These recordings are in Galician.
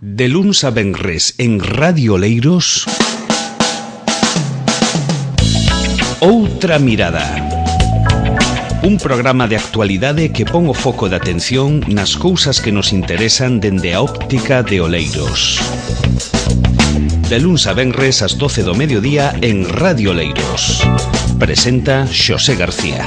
De luns a venres en Radio Oleiros, Outra Mirada. Un programa de actualidade que pon o foco de atención nas cousas que nos interesan dende a óptica de Oleiros. De luns a venres ás 12 do mediodía en Radio Oleiros. Presenta Xosé García.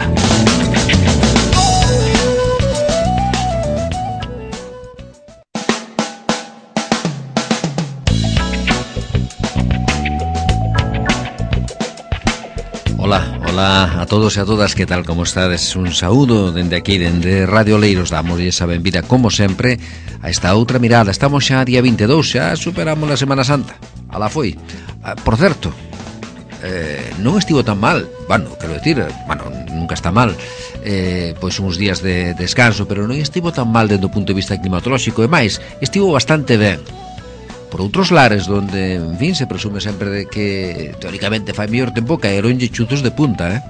Ola a todos e a todas, que tal, como estades? Un saúdo dende aquí, dende Radio Oleiros. Damos esa benvida, como sempre, a esta outra mirada. Estamos xa día 22, xa superamos a Semana Santa. Alá foi. Por certo, non estivo tan mal. Bueno, quero decir, nunca está mal, pois uns días de descanso, pero non estivo tan mal dende o punto de vista climatolóxico. E máis, estivo bastante ben. Por outros lares, donde, en fin, se presume sempre de que teóricamente fai mellor tempo, caeronlle chuzos de punta,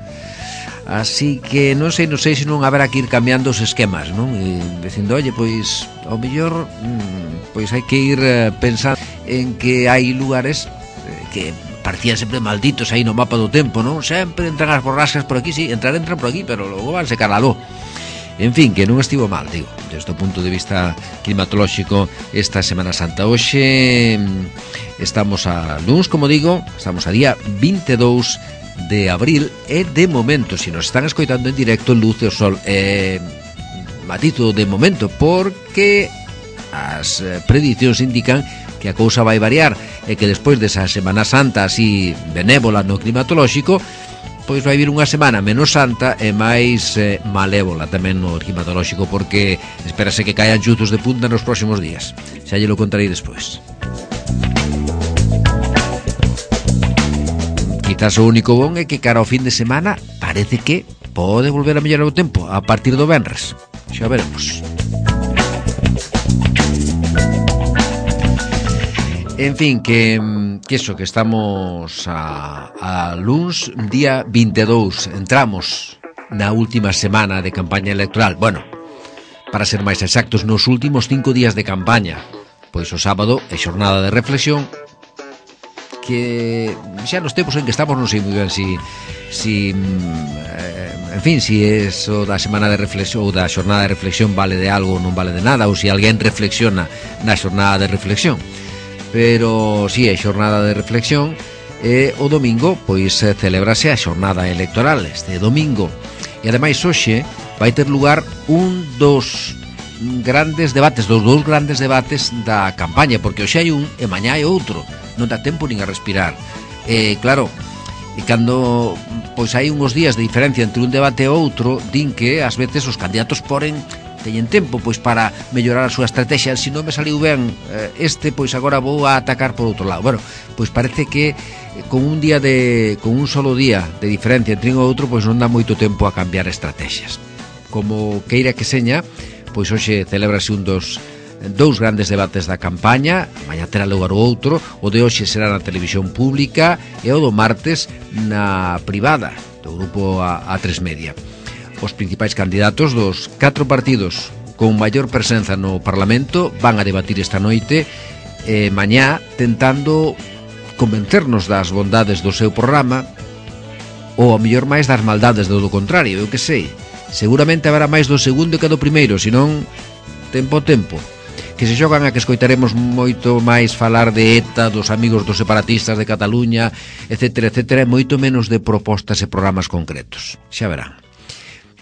Así que non sei se non haberá que ir cambiando os esquemas, non? E dicindo, oye, pois, ao mellor, pois hai que ir pensando en que hai lugares que parecían sempre malditos aí no mapa do tempo, non? Sempre entran as borrascas por aquí, sí, entran por aquí, pero logo van se calado. En fin, que non estivo mal, digo, desde o punto de vista climatolóxico esta Semana Santa. Hoxe estamos a luns, como digo, estamos a día 22 de abril e de momento, se nos están escoitando en directo, luce o sol. Matizo de momento, porque as predicións indican que a cousa vai variar e que despois desa Semana Santa así benévola no climatolóxico, pois vai vir unha semana menos santa e máis malévola tamén no climatolóxico, porque espérase que caian chuzos de punta nos próximos días. Xa lle lo contarei despois. Quizás o único bon é que cara ao fin de semana parece que pode volver a mellorar o tempo a partir do venres. Xa veremos. En fin, que estamos a luns, día 22. Entramos na última semana de campaña electoral. Bueno, para ser máis exactos, nos últimos 5 días de campaña. Pois o sábado é xornada de reflexión, que xa nos tempos en que estamos non sei moi ben si eso da semana de reflexión ou da xornada de reflexión vale de algo ou non vale de nada, ou se alguén reflexiona na xornada de reflexión. Pero si é xornada de reflexión, e o domingo pois celébrase a xornada electoral este domingo. E ademais hoxe vai ter lugar un dos grandes debates, dos dous grandes debates da campaña, porque hoxe hai un e mañá hai outro, non dá tempo nin a respirar. Claro, e cando pois hai uns días de diferencia entre un debate e outro, din que ás veces os candidatos teñen tempo pois para mellorar a súa estrategia. Se non me saliu ben pois agora vou a atacar por outro lado. Bueno, pois parece que con un solo día de diferencia entre un e outro, pois non dá moito tempo a cambiar estrategias. Como queira que seña, pois hoxe celébrase un dos dous grandes debates da campaña. Mañá terá lugar o outro. O de hoxe será na televisión pública e o do martes na privada do grupo A3 Media. Os principais candidatos dos 4 partidos con maior presenza no Parlamento van a debatir esta noite mañá, tentando convencernos das bondades do seu programa ou a mellor máis das maldades do contrario. Eu que sei, seguramente haberá máis do segundo que do primeiro, senón tempo que se xogan a que escoitaremos moito máis falar de ETA, dos amigos dos separatistas de Cataluña, etcétera, etcétera, e moito menos de propostas e programas concretos. Xa verán.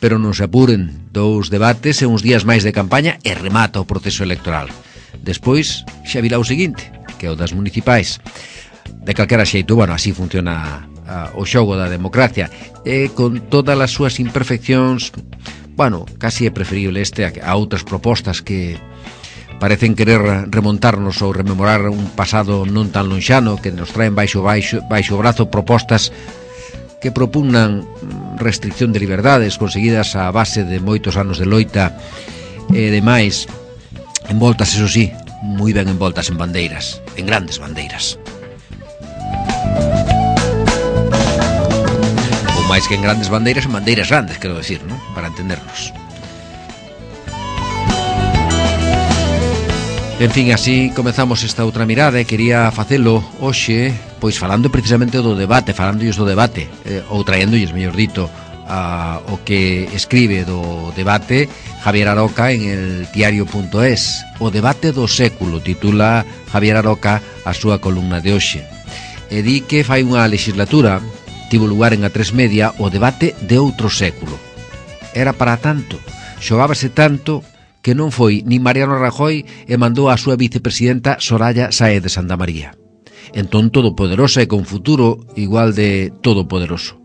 Pero non se apuren, 2 debates e uns días máis de campaña e remata o proceso electoral. Despois xa virá o seguinte, que é o das municipais. De calquera xeito, bueno, así funciona o xogo da democracia, e con todas as súas imperfeccións, bueno, casi é preferible a outras propostas que parecen querer remontarnos ou rememorar un pasado non tan lonxano, que nos traen baixo o brazo propostas que propugnan restricción de liberdades conseguidas a base de moitos anos de loita e demais, envoltas, eso sí, moi ben envoltas en bandeiras, en grandes bandeiras. Ou máis que en grandes bandeiras, en bandeiras grandes, quero decir, ¿no? Para entendernos. En fin, así comezamos esta outra mirada e quería facelo hoxe, pois falando precisamente do debate, falándolles do debate, ou traéndolles, mellor dito, o que escribe do debate Javier Aroca en el diario.es. O debate do século, titula Javier Aroca a súa columna de hoxe. E di que fai unha legislatura, tivo lugar en A3 Media, o debate de outro século. Era para tanto, xogábase tanto que non foi nin Mariano Rajoy e mandou a súa vicepresidenta Soraya Sáez de Santamaría. Entón todopoderosa e con futuro igual de todopoderoso.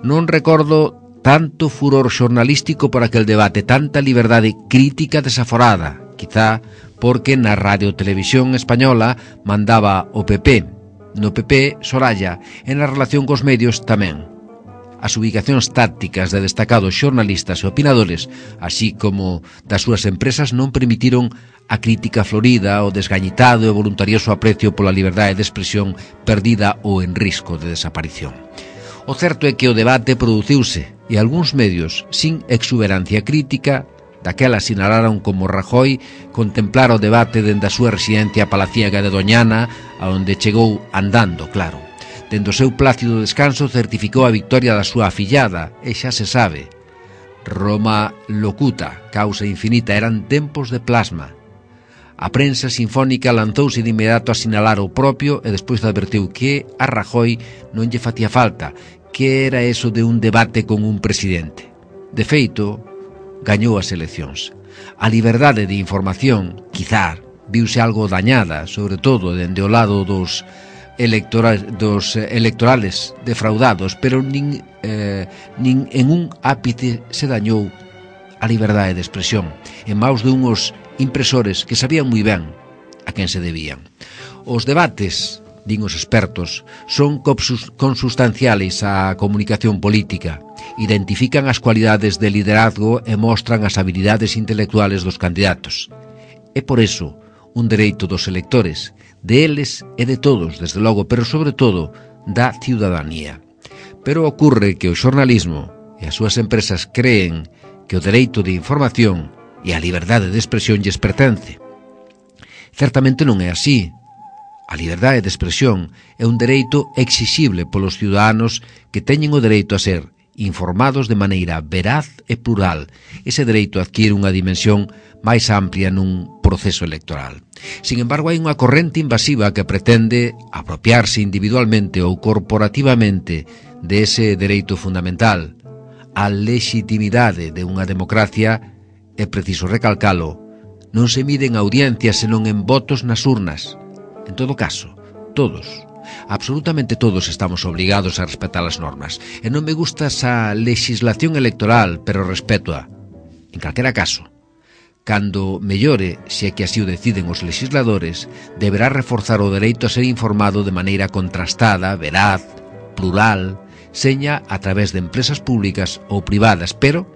Non recordo tanto furor xornalístico por aquel debate, tanta liberdade crítica desaforada, quizá porque na Radio Televisión Española mandaba o PP, no PP Soraya, e na relación cos medios tamén. As ubicacións tácticas de destacados xornalistas e opinadores, así como das súas empresas, non permitiron a crítica florida, o desgañitado e voluntarioso aprecio pola liberdade de expresión perdida ou en risco de desaparición. O certo é que o debate produciuse e algúns medios, sin exuberancia crítica, daquela sinalaron como Rajoy contemplar o debate dende a súa residencia palaciega de Doñana, a onde chegou andando, claro. Dende o seu plácido descanso certificou a victoria da súa afillada, e xa se sabe. Roma locuta, causa infinita, eran tempos de plasma. A prensa sinfónica lanzouse de inmediato a sinalar o propio e despois advertiu que a Rajoy non lle facía falta, que era eso de un debate con un presidente. De feito, gañou as eleccións. A liberdade de información, quizá, viuse algo dañada, sobre todo dende o lado dos electorales defraudados, pero nin en un ápice se dañou a liberdade de expresión en maus de unhos impresores que sabían moi ben a quen se debían. Os debates, din os expertos, son consustanciales á comunicación política, identifican as cualidades de liderazgo e mostran as habilidades intelectuales dos candidatos. É por eso un dereito dos electores, de eles e de todos, desde logo, pero sobre todo da ciudadanía. Pero ocorre que o xornalismo e as súas empresas creen que o dereito de información e a liberdade de expresión lles pertence. Certamente non é así. A liberdade de expresión é un dereito exixible polos ciudadanos que teñen o dereito a ser informados de maneira veraz e plural. Ese dereito adquire unha dimensión máis amplia nun proceso electoral. Sin embargo, hai unha corrente invasiva que pretende apropiarse individualmente ou corporativamente de ese dereito fundamental. A legitimidade de unha democracia, é preciso recalcalo, non se mide en audiencias senón en votos nas urnas. En todo caso, todos, absolutamente todos, estamos obligados a respetar as normas. E non me gusta esa legislación electoral, pero respétoa. En calquera caso, cando mellore, se é que así o deciden os legisladores, deberá reforzar o dereito a ser informado de maneira contrastada, veraz, plural, seña a través de empresas públicas ou privadas, pero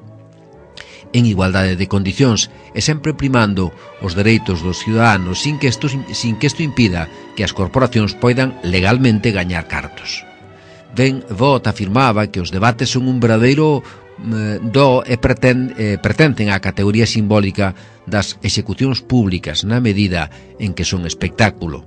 en igualdade de condicións e sempre primando os dereitos dos ciudadanos sin que isto impida que as corporacións poidan legalmente gañar cartos. Ben Vought afirmaba que os debates son un verdadeiro do e pertencen á categoría simbólica das execucións públicas na medida en que son espectáculo.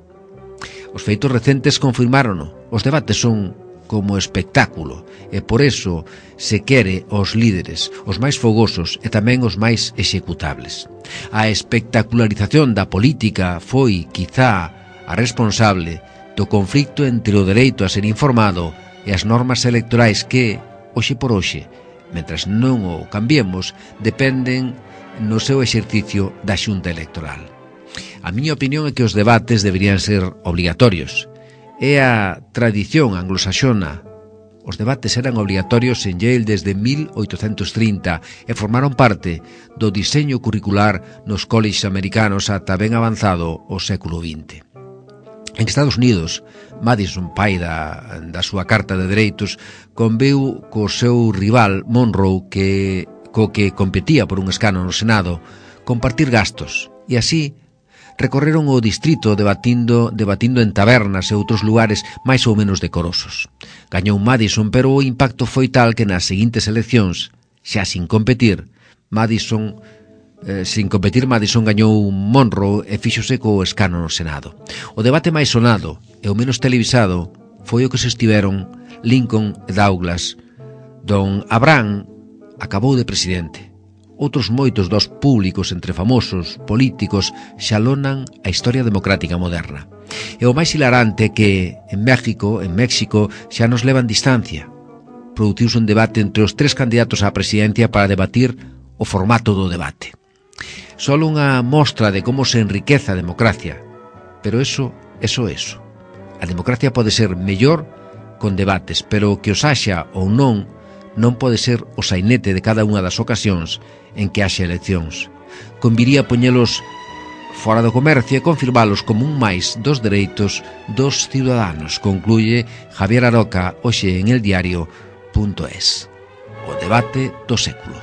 Os feitos recentes confirmárono. Os debates son como espectáculo e por eso se quere os líderes, os máis fogosos e tamén os máis executables. A espectacularización da política foi, quizá, a responsable do conflicto entre o dereito a ser informado e as normas electorais que, hoxe por hoxe, mentras non o cambiemos, dependen no seu exercicio da Xunta Electoral. A miña opinión é que os debates deberían ser obrigatorios. É a tradición anglosaxona. Os debates eran obrigatorios en Yale desde 1830 e formaron parte do diseño curricular nos colleges americanos ata ben avanzado o século XX. En Estados Unidos, Madison, pai da súa Carta de Dereitos, conveu co seu rival Monroe, co que competía por un escano no Senado, compartir gastos, e así recorreron o distrito debatindo en tabernas e outros lugares máis ou menos decorosos. Gañou Madison, pero o impacto foi tal que nas seguintes eleccións, xa sin competir, Madison Sin competir, Madison gañou Monroe e fíxose co escano no Senado. O debate máis sonado e o menos televisado foi o que se estiveron Lincoln e Douglas. Don Abraham acabou de presidente. Outros moitos dos públicos entre famosos políticos xalonan a historia democrática moderna. E o máis hilarante é que en México xa nos levan distancia. Produciuse un debate entre os 3 candidatos á presidencia para debatir o formato do debate. Só unha mostra de como se enriquece a democracia. Pero eso. A democracia pode ser mellor con debates, pero que os haxa ou non pode ser o sainete de cada unha das ocasións en que haxa eleccións. Conviría poñelos fora do comercio e confirmalos como un máis dos dereitos dos ciudadanos, concluye Javier Aroca hoxe en eldiario.es. O debate do século.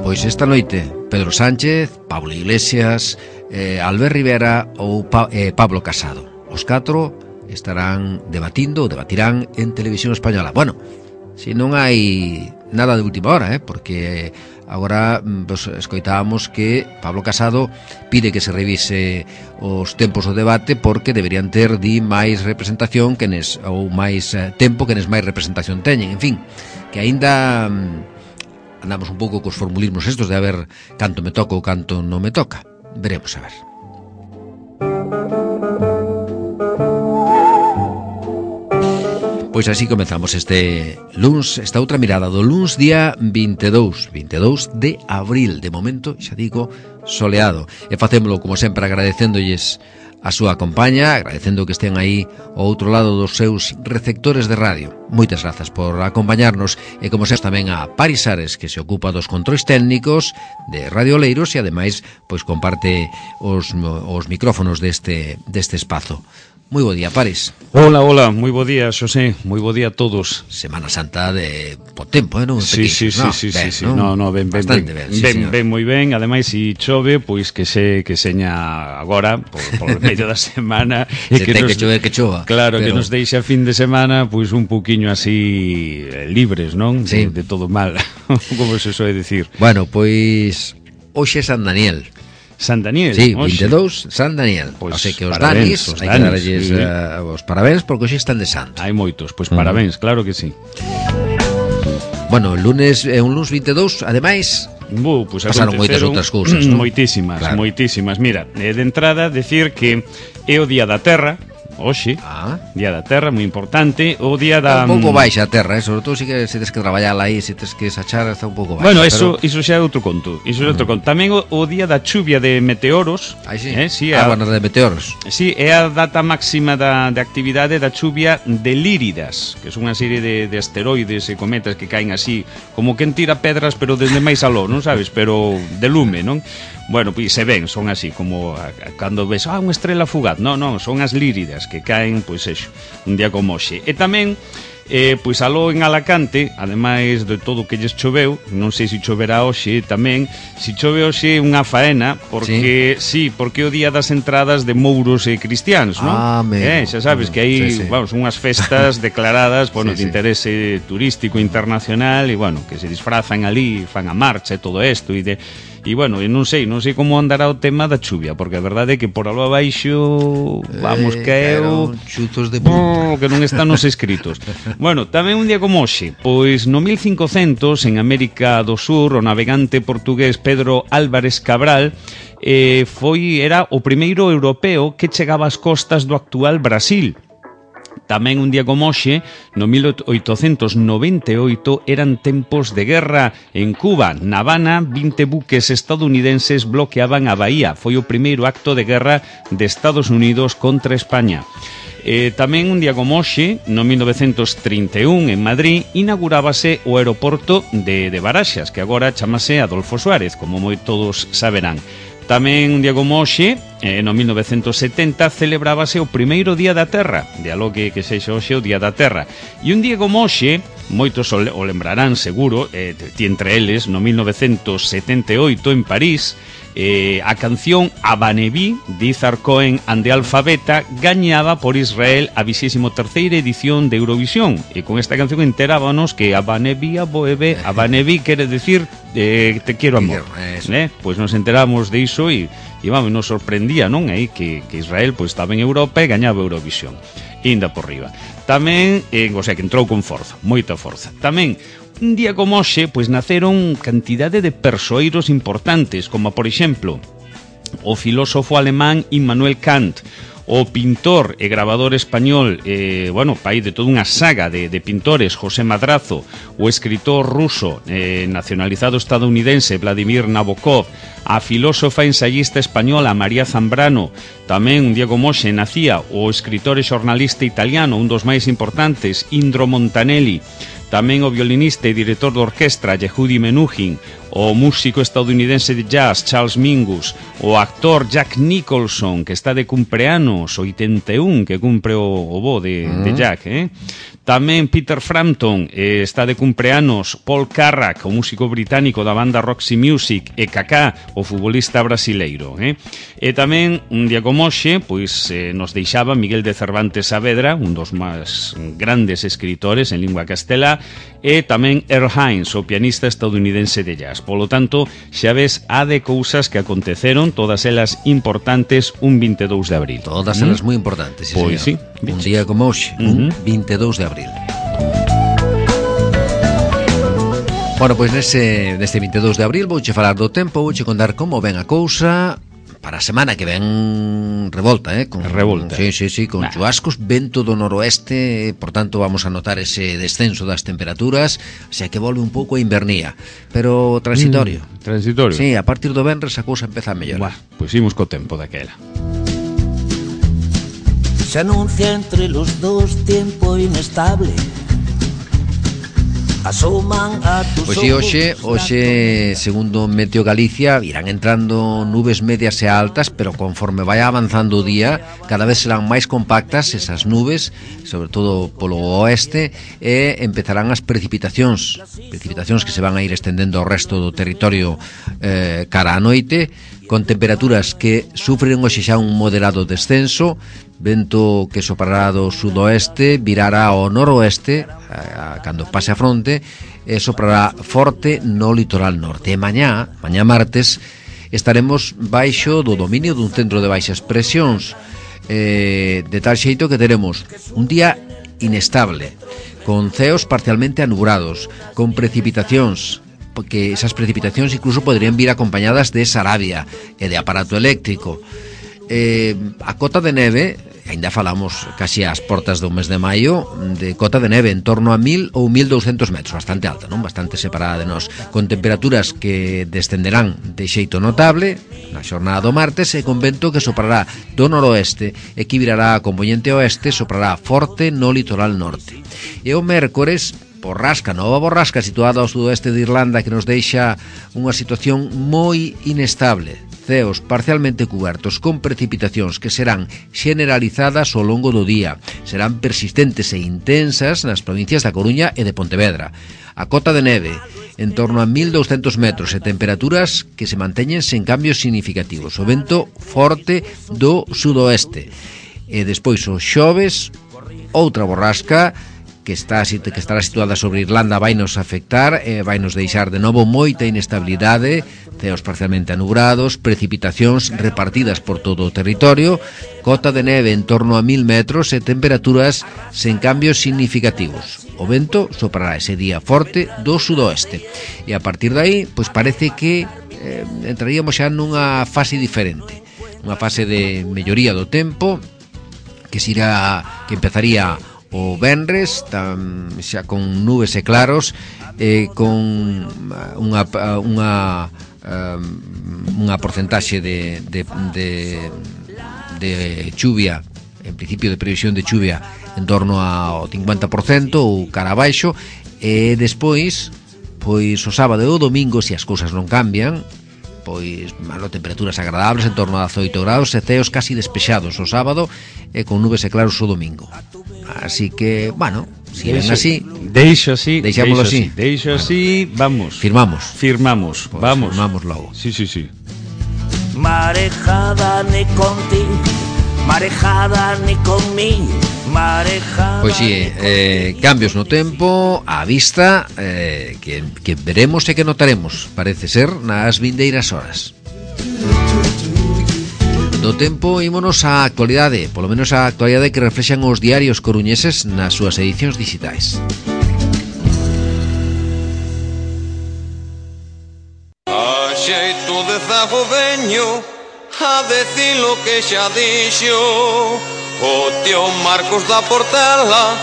Pois esta noite, Pedro Sánchez, Pablo Iglesias, Albert Rivera ou Pablo Casado. Os 4 estarán debatirán en Televisión Española. Bueno, si non hai nada de última hora, porque agora pues, escoitábamos que Pablo Casado pide que se revise os tempos do debate porque deberían ter máis representación ou máis tempo que máis representación teñen. En fin, que aínda andamos un pouco cos formulismos estos de a ver canto me toca ou canto non me toca. Veremos a ver. Pois así comezamos este luns, esta outra mirada do luns día 22 de abril. De momento, xa digo, soleado. E facémolo, como sempre, agradecéndolles a súa compañía, agradecendo que estén aí ao outro lado dos seus receptores de radio. Moitas grazas por acompañarnos e, como sempre, tamén a Paris Ares, que se ocupa dos controis técnicos de Radio Oleiros e, ademais, pois comparte os micrófonos deste espazo. Moi bo día, Paris. Hola, moi bo día, Xosé. Moi bo día a todos. Semana Santa de po tempo, non? Sí. No, ben, moi ben. Ademais, se chove, pois que seña agora por medio da semana e que ten que chover que chova. Claro, pero que nos deixa fin de semana pois un poquiño así libres, non? Sí. De todo mal, como se soe decir. Bueno, pois hoxe é San Daniel. San Daniel. Sí, 22, San Daniel. Pois, o sea que os danis, hai que darlles os parabéns porque hoxe están de santo. Hai moitos, pois parabéns, claro que sí. Bueno, el lunes é un lunes 22, ademais pues pasaron moitas outras cousas, non? Moitísimas. Mira, de entrada, decir que é o Día da Terra, hoxe, Día da Terra, moi importante, o día da... Un pouco baixa a terra, sobre todo se tes que traballar aí, se tes que sachar, está un pouco baixa. Bueno, iso xa é outro conto. Tamén o día da chuvia de meteoros. Sí, bueno, de meteoros. Sí, é a data máxima de actividade da chuvia de Líridas, que é unha serie de asteroides e cometas que caen así, como quen tira pedras, pero desde máis aló, non sabes? Pero de lume, non? Bueno, pois se ven, son así, como cando ves, unha estrela fugaz. Non, son as Líridas que caen, pois eso, un día como hoxe. E tamén, pois aló en Alacante, ademais de todo o que lles choveu, non sei se choverá hoxe tamén, se chove hoxe unha faena, porque porque é o día das entradas de mouros e cristianos, non? Xa sabes que hai, vamos, unhas festas declaradas, bueno, de interese turístico internacional, e bueno, que se disfrazan ali, fan a marcha e todo isto, e bueno, non sei como andará o tema da chuvia, porque a verdade é que por algo abaixo vamos caeu chuzos de punta que non están nos escritos. Bueno, tamén un día como hoxe, pois no 1500 en América do Sur o navegante portugués Pedro Álvarez Cabral era o primeiro europeo que chegaba ás costas do actual Brasil. Tamén un día como hoxe, no 1898, eran tempos de guerra en Cuba. Na Habana, 20 buques estadounidenses bloqueaban a bahía. Foi o primeiro acto de guerra de Estados Unidos contra España. Tamén un día como hoxe, no 1931, en Madrid, inaugurábase o aeroporto de Baraxas, que agora chamase Adolfo Suárez, como moi todos saberán. Tamén un día como hoxe, no 1970, celebrábase o primeiro Día da Terra, de algo que sexa hoxe o Día da Terra. E un día como hoxe, moitos o lembrarán seguro, ti entre eles, no 1978 en París, A canción Abaneví de Izar Cohen and the Alfabeta gañaba por Israel a 23ª edición de Eurovisión, e con esta canción enterábanos que Abaneví, Abaneví quere decir te quiero amor, pois nos enteramos de iso e vamos, nos sorprendía, non? Que Israel pois estaba en Europa e gañaba Eurovisión, inda por riba. Tamén, o sea, que entrou con forza, moita forza. Tamén un día como hoxe, pois naceron cantidade de persoeiros importantes, como por exemplo o filósofo alemán Immanuel Kant, o pintor e grabador español, pai de toda unha saga de pintores, José Madrazo, o escritor ruso nacionalizado estadounidense Vladimir Nabokov, a filósofa ensayista española María Zambrano. Tamén un día como hoxe nacía o escritor e xornalista italiano, un dos máis importantes, Indro Montanelli. Tamén o violinista e director de orquestra Yehudi Menuhin, o músico estadounidense de jazz Charles Mingus, o actor Jack Nicholson, que está de cumpleanos, 81, que cumpre o bo de Jack, Tamén Peter Frampton, está de cumpleanos Paul Carrack, o músico británico da banda Roxy Music, e Kaká, o futbolista brasileiro, E tamén, un día como hoxe, pois nos deixaba Miguel de Cervantes Saavedra, un dos máis grandes escritores en lingua castelá, e tamén Earl Hines, o pianista estadounidense de jazz. Polo tanto, xa ves a de cousas que aconteceron, todas elas importantes, un 22 de abril. Todas elas moi importantes, pois sí, un día como hoxe, un 22 de abril. Bueno, pois neste 22 de abril vouche falar do tempo, vouche contar como ven a cousa para a semana que ven revolta, revolta. Sí, con chubascos, vento do noroeste, por tanto vamos a notar ese descenso das temperaturas, o sea que volve un pouco a invernía, pero transitorio. Transitorio. Sí, a partir do venres a cousa empeza a mellorar. Pois imos co tempo daquela. Se anuncia entre los dos tiempo inestable. Asoman a tus ojos. Hoxe, segundo Meteo Galicia, irán entrando nubes medias e altas, pero conforme vai avanzando o día, cada vez serán máis compactas esas nubes, sobre todo polo oeste, e empezarán as precipitacións que se van a ir estendendo ao resto do territorio cara a noite, con temperaturas que sufren hoxe xa un moderado descenso, vento que soprará do sudoeste, virará ao noroeste cando pase a fronte, e soprará forte no litoral norte. E mañá martes, estaremos baixo do dominio dun centro de baixas presións, de tal xeito que teremos un día inestable, con ceos parcialmente anubrados, con precipitacións, porque esas precipitacións incluso podrían vir acompañadas de sarabia e de aparato eléctrico. A cota de neve, ainda falamos casi ás portas do mes de maio, de cota de neve en torno a 1000 ou 1200 metros, bastante alta, non? Bastante separada de nós, con temperaturas que descenderán de xeito notable na xornada do martes, e con vento que soprará do noroeste e que virará a componente oeste, soprará forte no litoral norte. E o mércores, nova borrasca situada ao sudoeste de Irlanda, que nos deixa unha situación moi inestable, ceos parcialmente cubertos, con precipitacións que serán generalizadas ao longo do día, serán persistentes e intensas nas provincias da Coruña e de Pontevedra. A cota de neve en torno a 1200 metros e temperaturas que se manteñen sen cambios significativos, o vento forte do sudoeste. E despois o xoves, outra borrasca que estará situada sobre Irlanda vai nos afectar, vai nos deixar de novo moita inestabilidade, ceos parcialmente anubrados, precipitacións repartidas por todo o territorio, cota de neve en torno a 1000 metros e temperaturas sen cambios significativos. O vento soprará ese día forte do sudoeste. E a partir de aí, pois parece que entraríamos xa nunha fase diferente, unha fase de melloría do tempo, que empezaría o venres, xa con nubes e claros, con unha porcentaxe de chuvia, en principio de previsión de chuvia en torno ao 50% ou cara abaixo, e despois, pois o sábado e o domingo, se as cousas non cambian, pois temperaturas agradables en torno a 18 graus e ceos casi despexados o sábado e con nubes e claros o domingo. Así que, bueno, si ven así, deixámoslo así, vamos. Firmamos. Pues vamos. Firmamos logo. Sí. marejada ni contigo, marejada ni conmigo, marejada. Pois si, cambios no tempo á vista, que veremos e que notaremos, parece ser, nas vindeiras horas. Do tempo ímonos á actualidade, polo menos á actualidade que reflexan os diarios coruñeses nas súas edicións digitais. A xeito de zago veño a decir lo que xa dixo o tío Marcos da Portela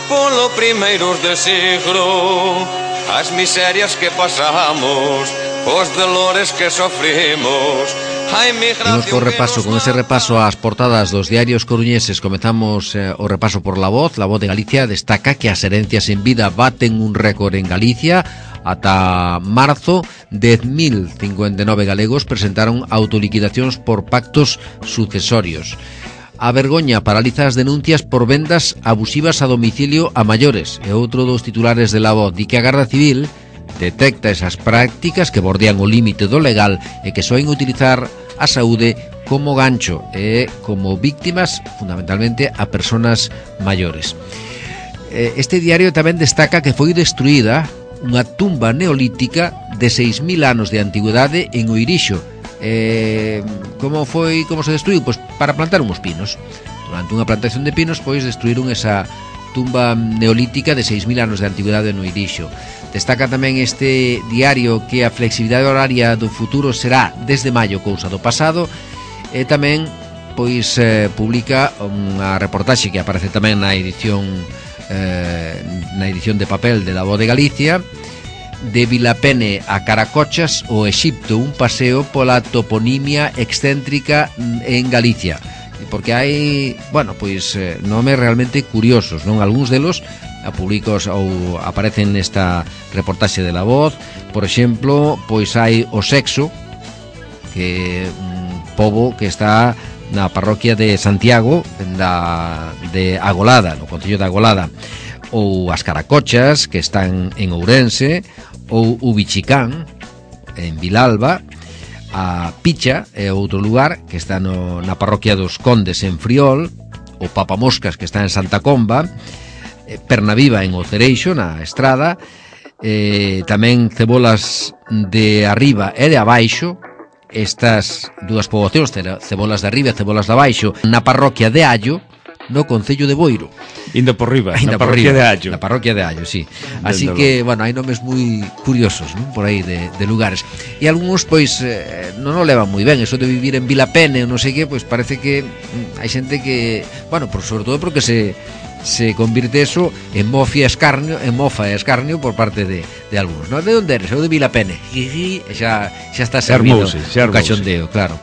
polo primeiros de siglo. As miserias que pasamos, os dolores que sofrimos. Imos co repaso, con ese repaso ás portadas dos diarios coruñeses. Comezamos o repaso por La Voz. La Voz de Galicia destaca que as herencias en vida baten un récord en Galicia. Ata marzo, 10.059 galegos presentaron autoliquidacións por pactos sucesorios. A vergoña paraliza as denuncias por vendas abusivas a domicilio a maiores. E outro dos titulares de La Voz di que a Garda Civil detecta esas prácticas que bordean o límite do legal e que soen utilizar a saúde como gancho e como víctimas fundamentalmente a personas maiores. Este diario tamén destaca que foi destruída unha tumba neolítica de 6.000 anos de antigüedade en Oirixo. Como se destruiu? Pois para plantar uns pinos. Durante unha plantación de pinos, pois destruíron esa tumba neolítica de 6.000 anos de antigüedade en Oirixo. Destaca tamén este diario que a flexibilidade horaria do futuro será desde maio, cousa do pasado, e tamén pois publica unha reportaxe que aparece tamén na edición de papel de La Voz de Galicia, de Vilapene a Caracochas, o Exipto, un paseo pola toponimia excéntrica en Galicia, porque hai, pois nomes realmente curiosos, non? Algúns delos públicos ou aparecen nesta reportaxe de La Voz. Por exemplo, pois hai o Sexo, que un pobo que está na parroquia de Santiago de Agolada, no concello de Agolada, ou as Caracochas, que están en Ourense, ou Ubichicán en Vilalba. A Picha é outro lugar que está na parroquia dos Condes en Friol, o Papamoscas, que está en Santa Comba, Pernaviva en Ocereixo, na Estrada, tamén Cebolas de Arriba e de Abaixo. Estas dúas poboacións, Cebolas de Arriba e Cebolas de Abaixo, na parroquia de Allo, no concello de Boiro. Indo por riba, na parroquia de Allo. Na parroquia de Allo, sí. Así que, hai nomes moi curiosos, non? Por aí de lugares. E algúns, pois, non o levan moi ben. Eso de vivir en Vilapene, non sei que, pois parece que hai xente que, sobre todo porque se convirte eso en mofa e escarnio por parte de algúns, non? De onde eres? Eu de Vilapene. Xa está servido un cachondeo, claro.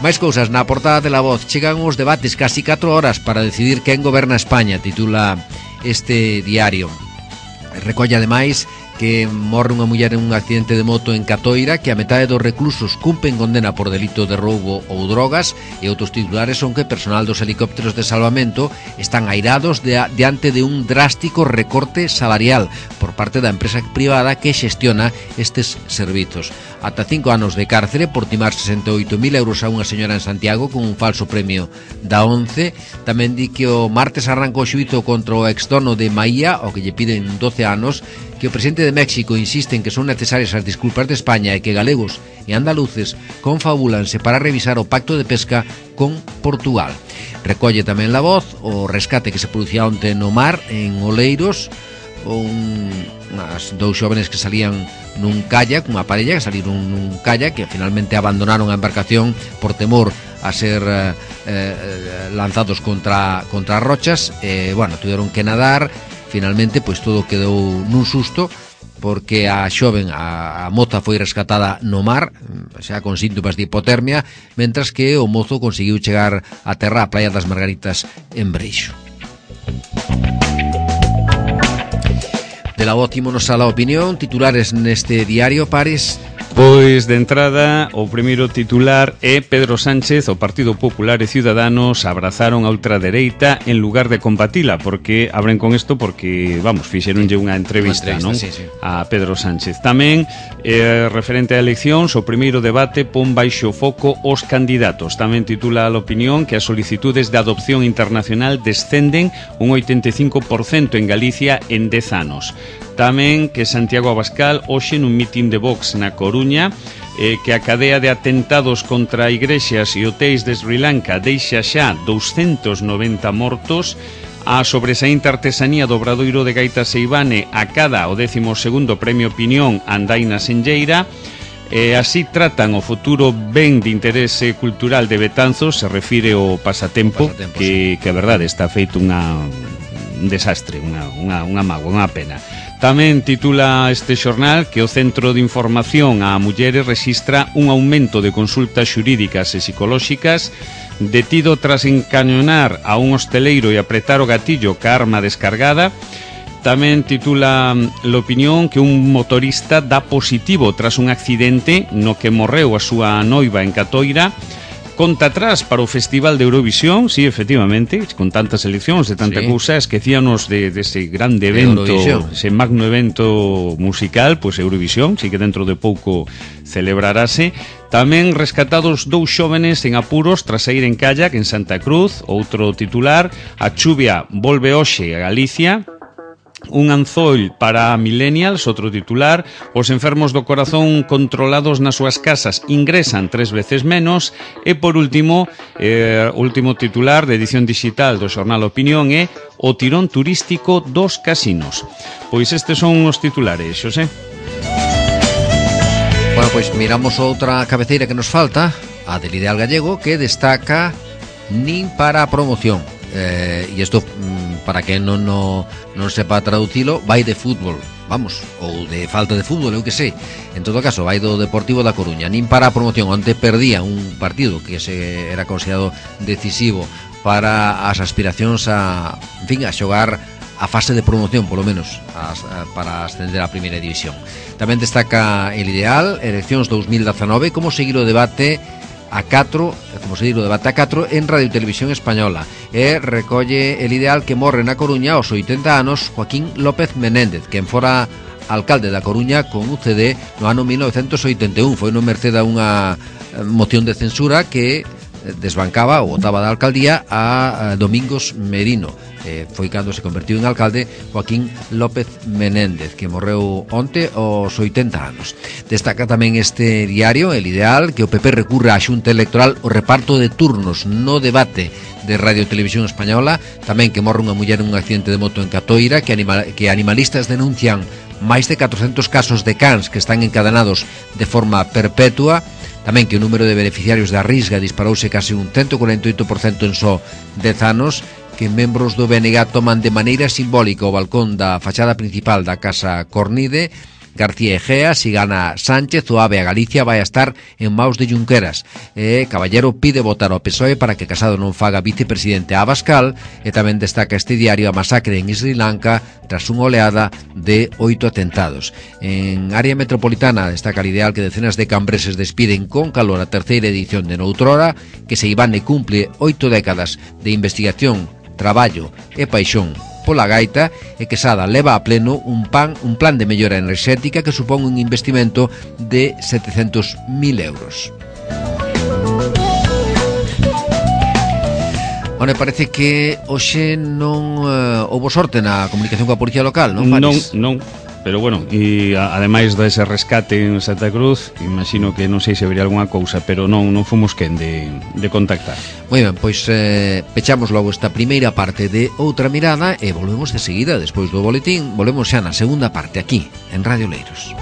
Máis cousas na portada de La Voz. Chegan os debates casi 4 horas para decidir quen goberna España, titula este diario. Recolle ademais que morre unha muller en un accidente de moto en Catoira, que a metade dos reclusos cumpren condena por delito de roubo ou drogas, e outros titulares son que personal dos helicópteros de salvamento están airados diante de un drástico recorte salarial por parte da empresa privada que xestiona estes servizos. Ata 5 anos de cárcere por timar 68.000 euros a unha señora en Santiago con un falso premio da ONCE. Tamén di que o martes arrancou o xuízo contra o exdono de Maía, o que lle piden 12 anos, que o presidente de México insiste en que son necesarias as disculpas de España e que galegos e andaluces confabúlanse para revisar o pacto de pesca con Portugal. Recolle tamén La Voz o rescate que se producía onte no mar en Oleiros, dous xóvenes que salían nun kayak, unha parella que saliron nun kayak, que finalmente abandonaron a embarcación por temor a ser lanzados contra rochas. Tiveron que nadar. Finalmente, pois todo quedou nun susto, porque a xoven, a moza, foi rescatada no mar, xa con síntomas de hipotermia, mentras que o mozo conseguiu chegar a terra a Praia das Margaritas en Breixo. De La Voz ímonos a La Opinión. Titulares neste diario, pares: Pois, de entrada, o primeiro titular é Pedro Sánchez, o Partido Popular e Ciudadanos abrazaron a ultradereita en lugar de combatila, porque abren con isto porque, vamos, fixeronlle unha entrevista, non? Sí, sí. A Pedro Sánchez. Tamén, referente a eleccións, o primeiro debate pon baixo foco os candidatos. Tamén titula a opinión que as solicitudes de adopción internacional descenden un 85% en Galicia en 10 anos. Tamén que Santiago Abascal hoxe nun mitin de Vox na Coruña que a cadea de atentados contra igrexas e hotéis de Sri Lanka deixa xa 290 mortos. A sobresaínta artesanía do Obradoiro de Gaita Seivane acada o 12º Premio Opinión Andaina Senlleira. Así tratan o futuro ben de interese cultural de Betanzos, se refire ao pasatempo que a verdade está feito un desastre, unha mágoa, unha pena. Tamén titula este xornal que o Centro de Información a Mulleres rexistra un aumento de consultas xurídicas e psicolóxicas. Detido tras encañonar a un hosteleiro e apretar o gatillo ca arma descargada. Tamén titula l'opinión que un motorista dá positivo tras un accidente no que morreu a súa noiva en Catoira. Conta atrás para o Festival de Eurovisión, sí, efectivamente, con tantas eleccións e tanta cousa, esquecíanos dese grande evento, ese magno evento musical, pois Eurovisión, sí que dentro de pouco celebrarase. Tamén rescatados 2 xóvenes en apuros tras saír en kayak en Santa Cruz. Outro titular, a chuvia volve hoxe a Galicia. Un anzoil para millennials, outro titular. Os enfermos do corazón controlados nas súas casas ingresan 3 veces menos. E por último, último titular de edición digital do xornal Opinión é o tirón turístico dos casinos. Pois estes son os titulares, Xosé. Bueno, pois miramos outra cabeceira que nos falta, a del Ideal Gallego, que destaca nin para a promoción. E isto, para que non sepa traducilo, vai de fútbol, vamos, ou de falta de fútbol, eu que sei. En todo caso, vai do Deportivo da Coruña. Nin para a promoción, onde perdía un partido que era considerado decisivo para as aspiracións a xogar a fase de promoción, polo menos, para ascender á primeira división. Tamén destaca el Ideal, eleccións 2019, como seguir o debate a 4 en Radio e Televisión Española. E recolle el Ideal que morre na Coruña aos 80 anos Joaquín López Menéndez, quen fora alcalde da Coruña con UCD no ano 1981. Foi no merced a unha moción de censura que desbancaba ou votaba da alcaldía a Domingos Merino. Foi cando se convertiu en alcalde Joaquín López Menéndez, que morreu onte aos 80 anos. Destaca tamén este diario, El Ideal, que o PP recurre á Xunta Electoral o reparto de turnos no debate de Radio e Televisión Española. Tamén que morre unha muller en un accidente de moto en Catoira, que animalistas denuncian máis de 400 casos de cans que están encadenados de forma perpetua. Tamén que o número de beneficiarios da Risga disparouse case un 148% en só 10 anos, que membros do BNG toman de maneira simbólica o balcón da fachada principal da Casa Cornide. García Egea, si gana Sánchez, o AVE a Galicia vai a estar en maus de Junqueras. Caballero pide votar ao PSOE para que Casado non faga vicepresidente a Abascal. E tamén destaca este diario a masacre en Sri Lanka tras unha oleada de 8 atentados. En área metropolitana destaca el Ideal que decenas de cambreses despiden con calor a terceira edición de Noutrora, que Seivane cumple 8 décadas de investigación, traballo e paixón pola gaita, e Quesada leva a pleno un plan de mellora enerxética que supón un investimento de 700.000 euros. Bueno, parece que hoxe non houbo sorte na comunicación coa policía local, non, Paris? Non. Pero bueno, e ademais dese rescate en Santa Cruz, imagino que non sei se habería algunha cousa, pero non fomos quen de contactar. Moi ben, pois pechamos logo esta primeira parte de Outra Mirada e volvemos de seguida, despois do boletín, volvemos xa na segunda parte aquí, en Radio Oleiros.